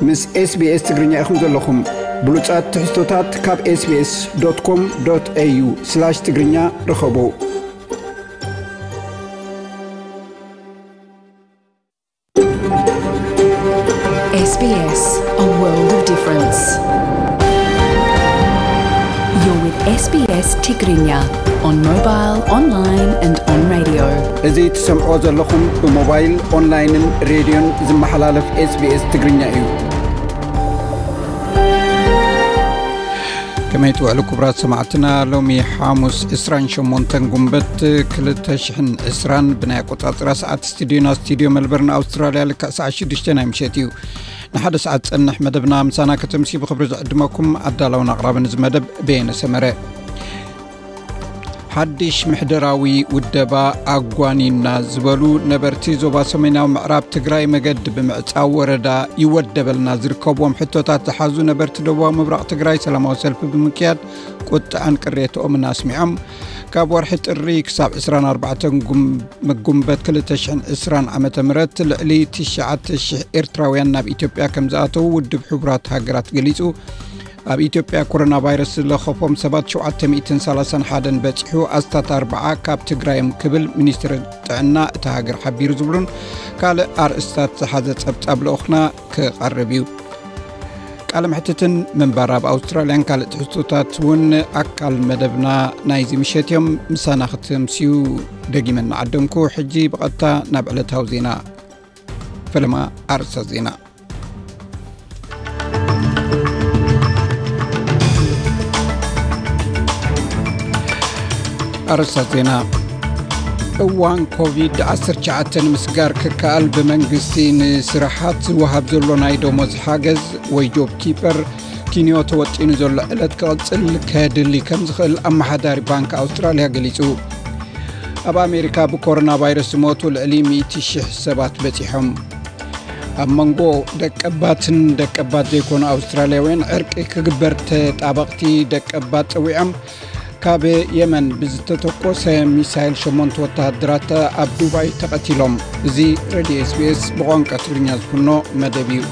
ምስ SBS ትግርኛ ኢኹም ዘለኹም። ብሉጻት ትሕዝቶታት ካብ SBS.com.au/ትግርኛ ርኸቡ። S B S, a world of difference. You're with S B S Tigrinya on mobile, online and on radio. እዚ ትሰምዖ ዘለኹም ብሞባይል፣ ኦንላይንን ሬድዮን ዝመሓላለፍ SBS ትግርኛ እዩ። ከመይ ትውዕሉ ክቡራት ሰማዕትና? ሎሚ ሓሙስ ዕስራን ሸሞንተን ጉንበት ክልተ ሽሕን ዕስራን ብናይ ኣቆጻጽራ ሰዓት ስቱዲዮና ስቱዲዮ መልበርን ኣውስትራልያ ልክዕ ሰዓት ሽዱሽተ ናይ ምሸት እዩ። ንሓደ ሰዓት ዝጸንሕ መደብና ምሳና ከተምሲ ብኽብሪ ዝዕድመኩም ኣዳላውን ኣቕራብን እዚ መደብ በየነ ሰመረ። ሓድሽ ምሕደራዊ ውደባ ኣጓኒና ዝበሉ ነበርቲ ዞባ ሰሜናዊ ምዕራብ ትግራይ መገዲ ብምዕጻው ወረዳ ይወደበልና ዝርከብዎም ሕቶታት ዝሓዙ ነበርቲ ደቡባዊ ምብራቕ ትግራይ ሰላማዊ ሰልፊ ብምክያድ ቁጥዐን ቅሬትኦምን ኣስሚዖም። ካብ ወርሒ ጥሪ ክሳብ ዕስራን ኣርባዕተን መጉንበት ክልተ ሽሕን ዕስራን ዓመተ ምህረት ልዕሊ ትሽዓተ ሽሕ ኤርትራውያን ናብ ኢትዮጵያ ከም ዝኣተዉ ውድብ ሕቡራት ሃገራት ገሊጹ። ኣብ ኢትዮጵያ ኮሮና ቫይረስ ዝለኸፎም ሰባት ሸውዓተ ሚእትን ሰላሳን ሓደን በጺሑ፣ ኣስታት ኣርብዓ ካብ ትግራዮም ክብል ሚኒስትሪ ጥዕና እታ ሃገር ሓቢሩ ዝብሉን ካልእ ኣርእስታት ዝሓዘ ጸብጻብ ልኡኽና ክቐርብ እዩ። ቃለ መሕትትን ምንባር ኣብ ኣውስትራልያን ካልእ ትሕዝቶታት እውን ኣካል መደብና ናይዚ ምሸት እዮም። ምሳና ክትምስዩ ደጊመ እናዓደምኩ፣ ሕጂ ብቐጥታ ናብ ዕለታዊ ዜና። ፈለማ ኣርእስታት ዜና። ኣርእስታት ዜና። እዋን ኮቪድ ዓሰርተ ትሽዓተ ንምስጋር ክከኣል ብመንግስቲ ንስራሓት ዝወሃብ ዘሎ ናይ ደሞዝ ሓገዝ ወይ ጆብ ኪፐር ኪንዮ ተወጢኑ ዘሎ ዕለት ክቕጽል ከድሊ ከም ዝኽእል ኣመሓዳሪ ባንክ ኣውስትራልያ ገሊጹ። ኣብ ኣሜሪካ ብኮሮና ቫይረስ ዝሞቱ ልዕሊ ሚእቲ ሽሕ ሰባት በጺሖም። ኣብ መንጎ ደቀባትን ደቀባት ዘይኮኑ ኣውስትራልያውያን ዕርቂ ክግበር ተጣበቕቲ ደቀባት ጸዊዖም። ካብ የመን ብዝተተኮሰ ሚሳይል ሸሞንተ ወተሃደራት ኣብ ዱባይ ተቐቲሎም። እዚ ሬድዮ SBS ብቋንቋ ትግርኛ ዝፍኖ መደብ እዩ።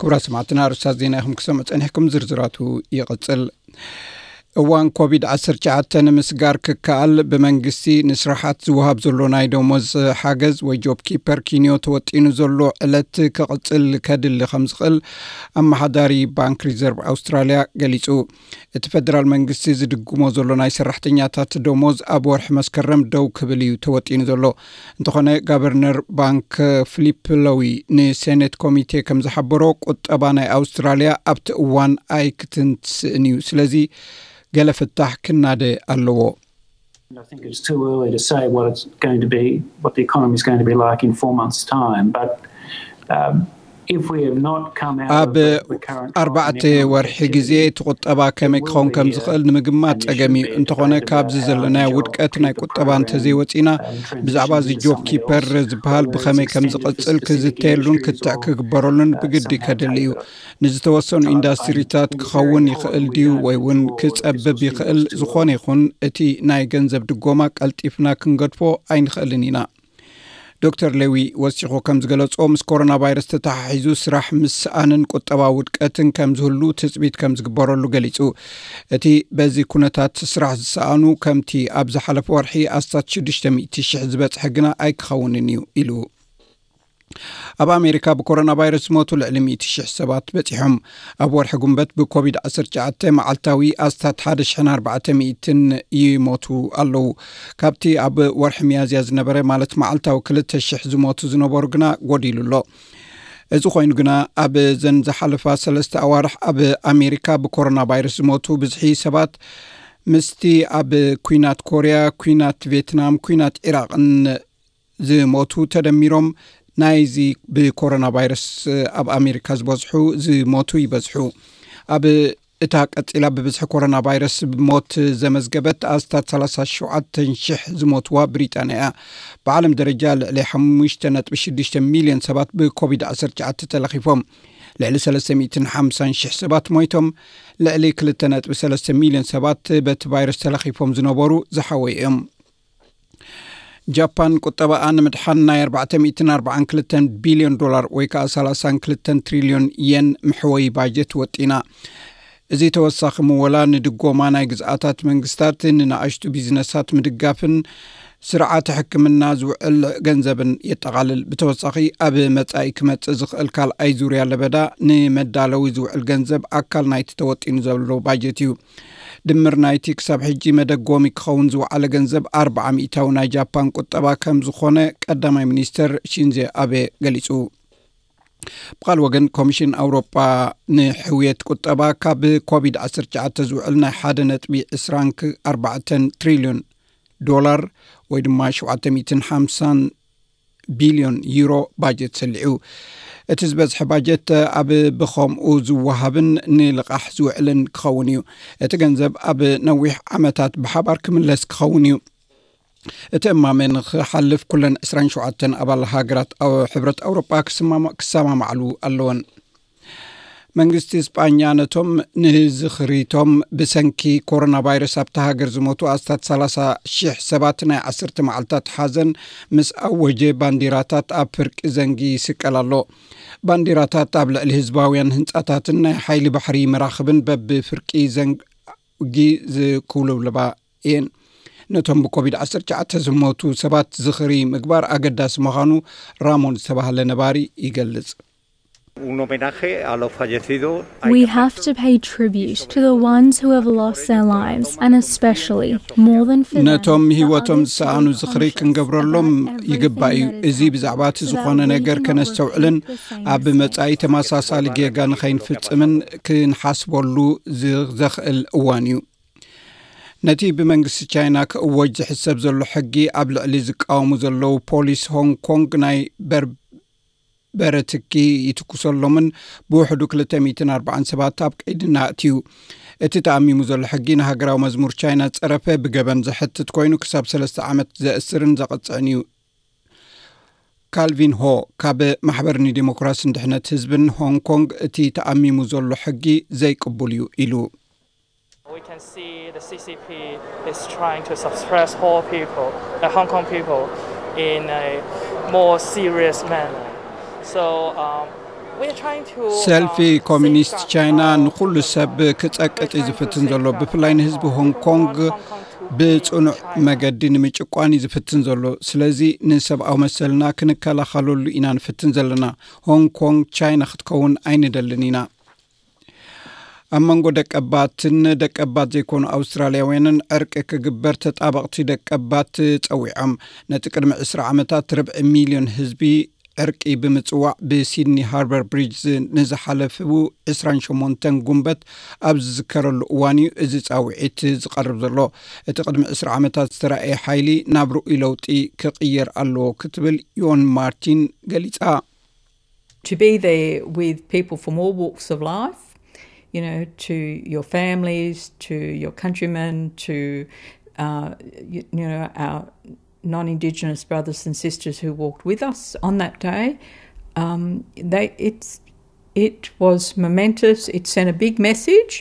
ክቡራት ሰማዕትና፣ ኣርእስታት ዜና ኢኹም ክሰምዑ ጸኒሕኩም። ዝርዝራቱ ይቕጽል። እዋን ኮቪድ ዓሰርተ ትሽዓተ ንምስጋር ክከኣል ብመንግስቲ ንስራሓት ዝወሃብ ዘሎ ናይ ደሞዝ ሓገዝ ወይ ጆብ ኪፐር ኪንዮ ተወጢኑ ዘሎ ዕለት ክቕጽል ከድሊ ከም ዝኽእል ኣመሓዳሪ ባንክ ሪዘርቭ ኣውስትራልያ ገሊጹ። እቲ ፈደራል መንግስቲ ዝድግሞ ዘሎ ናይ ሰራሕተኛታት ደሞዝ ኣብ ወርሒ መስከረም ደው ክብል እዩ ተወጢኑ ዘሎ። እንተኾነ፣ ጋቨርነር ባንክ ፊሊፕ ሎዊ ንሴኔት ኮሚቴ ከም ዝሓበሮ፣ ቁጠባ ናይ ኣውስትራልያ ኣብቲ እዋን ኣይክትንስእን እዩ። ስለዚ ገለ ፍታሕ ክናደ ኣለዎ። I think it's too early to say what it's going to be, what the economy is going to be like in four months' time. But um, if we have not come out of ኣብ the, the current ኣርባዕተ economic ወርሒ ግዜ activity, እቲ ቁጠባ ከመይ ክኸውን ከም ዝኽእል ንምግማት ጸገም እዩ። እንተኾነ፣ ካብዚ ዘለናዮ ውድቀት ናይ ቁጠባ እንተዘይወጺና፣ ብዛዕባ እዚ ጆብ ኪፐር ዝበሃል ብኸመይ ከም ዝቕጽል ክዝተየሉን ክትዕ ክግበረሉን ብግዲ ከድሊ እዩ። ንዝተወሰኑ ኢንዳስትሪታት ክኸውን ይኽእል ድዩ ወይ እውን ክጸብብ ይኽእል? ዝኾነ ይኹን፣ እቲ ናይ ገንዘብ ድጎማ ቀልጢፍና ክንገድፎ ኣይንኽእልን ኢና። ዶክተር ሌዊ ወሲኹ ከም ዝገለጾ፣ ምስ ኮሮና ቫይረስ ተተሓሒዙ ስራሕ ምስኣንን ቁጠባዊ ውድቀትን ከም ዝህሉ ትጽቢት ከም ዝግበረሉ ገሊጹ። እቲ በዚ ኩነታት ስራሕ ዝሰኣኑ ከምቲ ኣብ ዝሓለፈ ወርሒ ኣስታት ሽዱሽተ ሚእቲ ሽሕ ዝበጽሐ ግና ኣይክኸውንን እዩ ኢሉ። ኣብ ኣሜሪካ ብኮሮና ቫይረስ ዝሞቱ ልዕሊ ሚእቲ ሽሕ ሰባት በጺሖም። ኣብ ወርሒ ጉንበት ብኮቪድ ዓሰርተ ትሽዓተ መዓልታዊ ኣስታት ሓደ ሽሕን ኣርባዕተ ሚእትን ይሞቱ ኣለዉ። ካብቲ ኣብ ወርሒ ሚያዝያ ዝነበረ፣ ማለት መዓልታዊ ክልተ ሽሕ ዝሞቱ ዝነበሩ ግና ጎዲሉ ኣሎ። እዚ ኮይኑ ግና፣ ኣብ ዘን ዝሓለፋ ሰለስተ ኣዋርሕ ኣብ ኣሜሪካ ብኮሮና ቫይረስ ዝሞቱ ብዝሒ ሰባት ምስቲ ኣብ ኲናት ኮርያ፣ ኲናት ቬትናም፣ ኲናት ዒራቕን ዝሞቱ ተደሚሮም ናይዚ ብኮሮና ቫይረስ ኣብ ኣሜሪካ ዝበዝሑ ዝሞቱ ይበዝሑ። ኣብ እታ ቀጺላ ብብዝሒ ኮሮና ቫይረስ ሞት ዘመዝገበት ኣስታት ሰላሳ ሸውዓተ ሽሕ ዝሞትዋ ብሪጣንያ እያ። ብዓለም ደረጃ ልዕሊ ሓሙሽተ ነጥቢ ሽዱሽተ ሚልዮን ሰባት ብኮቪድ ዓሰርተ ትሽዓተ ተለኺፎም። ልዕሊ ሰለስተ ሚእትን ሓምሳን ሽሕ ሰባት ሞይቶም፣ ልዕሊ ክልተ ነጥቢ ሰለስተ ሚልዮን ሰባት በቲ ቫይረስ ተለኺፎም ዝነበሩ ዝሓወዩ እዮም። ጃፓን ቁጠባኣ ንምድሓን ናይ ኣርባዕተ ሚእትን ኣርባዓን ክልተን ቢልዮን ዶላር ወይ ከዓ ሰላሳን ክልተን ትሪልዮን የን መሕወይ ባጀት ወጢና። እዚ ተወሳኺ ምወላ ንድጎማ ናይ ግዝኣታት መንግስታት፣ ንናእሽቱ ቢዝነሳት ምድጋፍን ስርዓተ ሕክምና ዝውዕል ገንዘብን የጠቓልል። ብተወሳኺ ኣብ መጻኢ ክመጽእ ዝኽእል ካልኣይ ዙርያ ለበዳ ንመዳለዊ ዝውዕል ገንዘብ ኣካል ናይቲ ተወጢኑ ዘሎ ባጀት እዩ። ድምር ናይቲ ክሳብ ሕጂ መደጎሚ ክኸውን ዝወዓለ ገንዘብ ኣርባዓ ሚእታዊ ናይ ጃፓን ቁጠባ ከም ዝኾነ ቀዳማይ ሚኒስተር ሺንዜ ኣቤ ገሊጹ። ብኻል ወገን ኮሚሽን ኣውሮጳ ንሕውየት ቁጠባ ካብ ኮቪድ ዓሰርተ ትሽዓተ ዝውዕል ናይ ሓደ ነጥቢ ዕስራን ኣርባዕተን ትሪልዮን ዶላር ወይ ድማ ሸውዓተ ሚእትን ሓምሳን ቢልዮን ዩሮ ባጀት ሰሊዑ። እቲ ዝበዝሐ ባጀት ኣብ ብኸምኡ ዝወሃብን ንልቓሕ ዝውዕልን ክኸውን እዩ። እቲ ገንዘብ ኣብ ነዊሕ ዓመታት ብሓባር ክምለስ ክኸውን እዩ። እቲ እማመ ንክሓልፍ ኩለን ዕስራን ሸውዓተን ኣባል ሃገራት ኣው-፣ ሕብረት ኣውሮጳ ክስማማ-፣ ክሰማማዕሉ ኣለወን። መንግስቲ ስጳኛ ነቶም ንዝኽሪቶም ብሰንኪ ኮሮና ቫይረስ ኣብታ ሃገር ዝሞቱ ኣስታት ሰላሳ ሽሕ ሰባት ናይ ዓሰርተ መዓልታት ሓዘን ምስ ኣወጀ ባንዲራታት ኣብ ፍርቂ ዘንጊ ይስቀል ኣሎ። ባንዲራታት ኣብ ልዕሊ ህዝባውያን ህንጻታትን ናይ ሓይሊ ባሕሪ መራኽብን በብፍርቂ ዘንጊ ዝኩልብለባ እየን። ነቶም ብኮቪድ ዓሰርተ ትሽዓተ ዝሞቱ ሰባት ዝኽሪ ምግባር ኣገዳሲ ምዃኑ ራሞን ዝተባህለ ነባሪ ይገልጽ። Un homenaje a los fallecidos. We have to pay tribute to the ones who have lost their lives, and especially, more than for them, ነቶም the ህይወቶም others who ዝሰኣኑ are ዝኽሪ unconscious ክንገብረሎም of everything ይግባእ እዩ። that has እዚ happened, ብዛዕባ እቲ so that ዝኾነ we ነገር do not ከነስተውዕልን repeat the same ኣብ mistake. መጻኢ ተመሳሳሊ ጌጋ ንኸይንፍጽምን ክንሓስበሉ ዝ-፣ ዘኽእል እዋን እዩ። ነቲ ብመንግስቲ ቻይና ክእወጅ ዝሕሰብ ዘሎ ሕጊ ኣብ ልዕሊ ዝቃወሙ ዘለዉ ፖሊስ ሆንግ ኮንግ ናይ በር-፣ በረትኪ ይትኩሰሎምን ብውሕዱ ክልተ ሚእትን ኣርባዓን ሰባት ኣብ ቀይዲ እናእትዩ። እቲ ተኣሚሙ ዘሎ ሕጊ ንሃገራዊ መዝሙር ቻይና ዝጸረፈ ብገበን ዘሕትት ኮይኑ ክሳብ ሰለስተ ዓመት ዘእስርን ዘቐጽዕን እዩ። ካልቪን ሆ ካብ ማሕበር ንዲሞክራስን ድሕነት ህዝብን ሆንግ ኮንግ እቲ ተኣሚሙ ዘሎ ሕጊ ዘይቅቡል እዩ ኢሉ። We can see the C C P is trying to suppress Hong people, uh, Hong Kong people, in a more serious manner. So um, we're trying to. ሰልፊ ኮሚኒስት ቻይና ንኹሉ ሰብ ክጸቅጥ እዩ ዝፍትን ዘሎ። ብፍላይ ንህዝቢ ሆንግ ኮንግ ብጽኑዕ መገዲ ንምጭቋን እዩ ዝፍትን ዘሎ። ስለዚ ንሰብኣዊ መሰልና ክንከላኸለሉ ኢና ንፍትን ዘለና። ሆንግ ኮንግ ቻይና ክትከውን ኣይንደልን ኢና። ኣብ መንጎ ደቀባትን ደቀባት ዘይኮኑ ኣውስትራልያውያንን ዕርቂ ክግበር ተጣበቕቲ ደቀባት ጸዊዖም። ነቲ ቅድሚ ዕስራ ዓመታት ርብዒ ሚልዮን ህዝቢ ዕርቂ ብምጽዋዕ ብሲድኒ ሃርበር ብሪጅ ንዝሓለፉ ዕስራን ሸሞንተን ጉንበት ኣብ ዝዝከረሉ እዋን እዩ እዚ ጻውዒት ዝቐርብ ዘሎ። እቲ ቅድሚ ዕስራ ዓመታት ዝተራእየ ሓይሊ ናብ ርኡይ ለውጢ ክቕየር ኣለዎ ክትብል ዮን ማርቲን ገሊጻ። To be there with people from all walks of life, you know, to your families, to your countrymen, to uh, you, you know our non-Indigenous brothers and sisters who walked with us on that day. Um, they, it's, it was momentous. It sent a big message.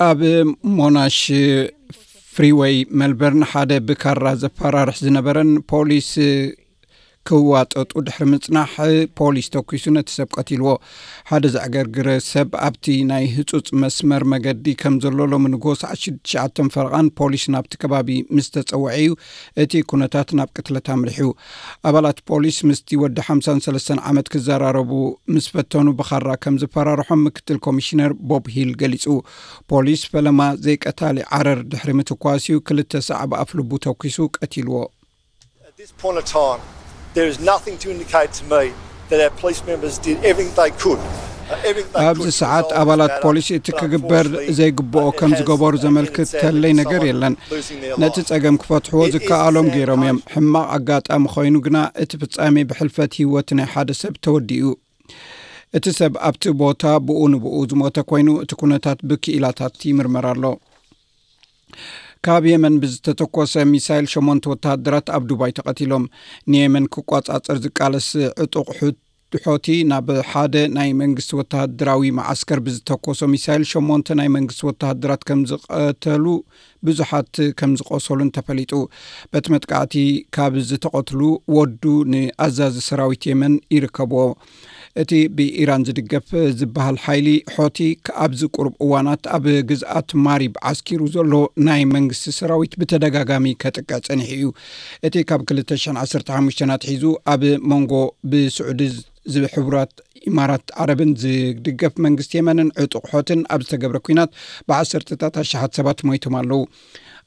ኣብ ሞናሽ ፍሪወይ ሜልበርን ሓደ ብካራ ዘፈራርሕ ዝነበረን ፖሊስ ክዋጠጡ ድሕሪ ምጽናሕ ፖሊስ ተኩሱ ነቲ ሰብ ቀቲልዎ። ሓደ ዘዕገርግረ ሰብ ኣብቲ ናይ ህጹጽ መስመር መገዲ ከም ዘሎ ሎሚ ንግሆ ሰዓት ሽዱሽተ ፈረቓን ፖሊስ ናብቲ ከባቢ ምስ ተጸውዐ እዩ እቲ ኩነታት ናብ ቅትለት ኣምሪሑ። ኣባላት ፖሊስ ምስቲ ወዲ ሓምሳን ሰለስተን ዓመት ክዘራረቡ ምስ ፈተኑ ብኻራ ከም ዝፈራርሖም ምክትል ኮሚሽነር ቦብ ሂል ገሊጹ። ፖሊስ ፈለማ ዘይቀታሊ ዓረር ድሕሪ ምትኳስ እዩ ክልተ ሳዕ ብኣፍልቡ ተኩሱ ቀቲልዎ። At this point of time, there is nothing to indicate to me that our police members did everything they could. Uh, everything they ኣብዚ could to ሰዓት resolve this ኣባላት matter, ፖሊስ እቲ but ክግበር unfortunately, ዘይግብኦ that ከም has, ዝገበሩ uh, ended ዘመልክት sadly ተለይ with ነገር someone የለን። losing their ነቲ life. ጸገም ክፈትሕዎ It is a ዝከኣሎም sad ገይሮም እዮም። punishment. ሕማቕ ኣጋጣሚ ኮይኑ ግና እቲ ፍጻሜ ብሕልፈት ህይወት ናይ ሓደ ሰብ ተወዲኡ። እቲ ሰብ ኣብቲ ቦታ ብኡ ንብኡ ዝሞተ ኮይኑ እቲ ኩነታት ብክኢላታት ይምርመር ኣሎ። ካብ የመን ብዝተተኮሰ ሚሳይል ሸሞንተ ወተሃደራት ኣብ ዱባይ ተቐቲሎም። ንየመን ክቆጻጸር ዝቃለስ ዕጡቕ ሑ- ሖቲ ናብ ሓደ ናይ መንግስቲ ወተሃደራዊ መዓስከር ብዝተኮሶ ሚሳይል ሸሞንተ ናይ መንግስቲ ወተሃደራት ከም ዝቐተሉ፣ ብዙሓት ከም ዝቆሰሉን ተፈሊጡ። በቲ መጥቃዕቲ ካብ ዝተቐትሉ ወዱ ንኣዛዚ ሰራዊት የመን ይርከብዎ። እቲ ብኢራን ዝድገፍ ዝበሃል ሓይሊ ሖቲ፣ ኣብዚ ቁሩብ እዋናት ኣብ ግዝኣት ማሪብ ዓስኪሩ ዘሎ ናይ መንግስቲ ሰራዊት ብተደጋጋሚ ከጥቅዕ ጸኒሑ እዩ። እቲ ካብ ክልተ ሽሕን ዓሰርተ ሓሙሽተን ኣትሒዙ ኣብ መንጎ ብስዑዲ ዝሕቡራት ኢማራት ዓረብን ዝድገፍ መንግስቲ የመንን ዕጡቕ ሖትን ኣብ ዝተገብረ ኲናት ብዓሰርተታት ኣሽሓት ሰባት ሞይቶም ኣለዉ።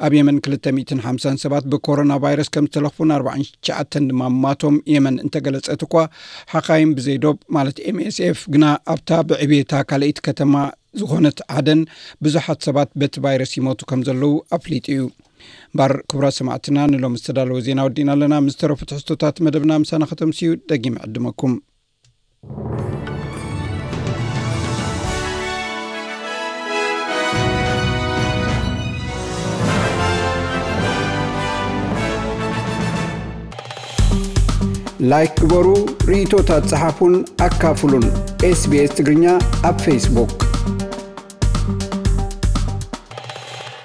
ኣብ የመን ክልተ ሚእትን ሓምሳን ሰባት ብኮሮና ቫይረስ ከም ዝተለኽፉን ኣርባዓን ትሽዓተን ድማ ምማቶም የመን እንተገለጸት እኳ፣ ሓኻይም ብዘይ ዶብ ማለት ኤምኤስኤፍ ግና ኣብታ ብዕቤታ ካልኣይቲ ከተማ ዝኾነት ዓደን ብዙሓት ሰባት በቲ ቫይረስ ይሞቱ ከም ዘለዉ ኣፍሊጡ እዩ። እምበር ክቡራት ሰማዕትና፣ ንሎም ዝተዳለወ ዜና ወዲእና ኣለና። ምስ ተረፉ ትሕዝቶታት መደብና ምሳና ከተምስዩ ደጊም ዕድመኩም። ላይክ ግበሩ፣ ርእይቶታት ጸሓፉን ኣካፍሉን። ኤስቢኤስ ትግርኛ ኣብ ፌስቡክ።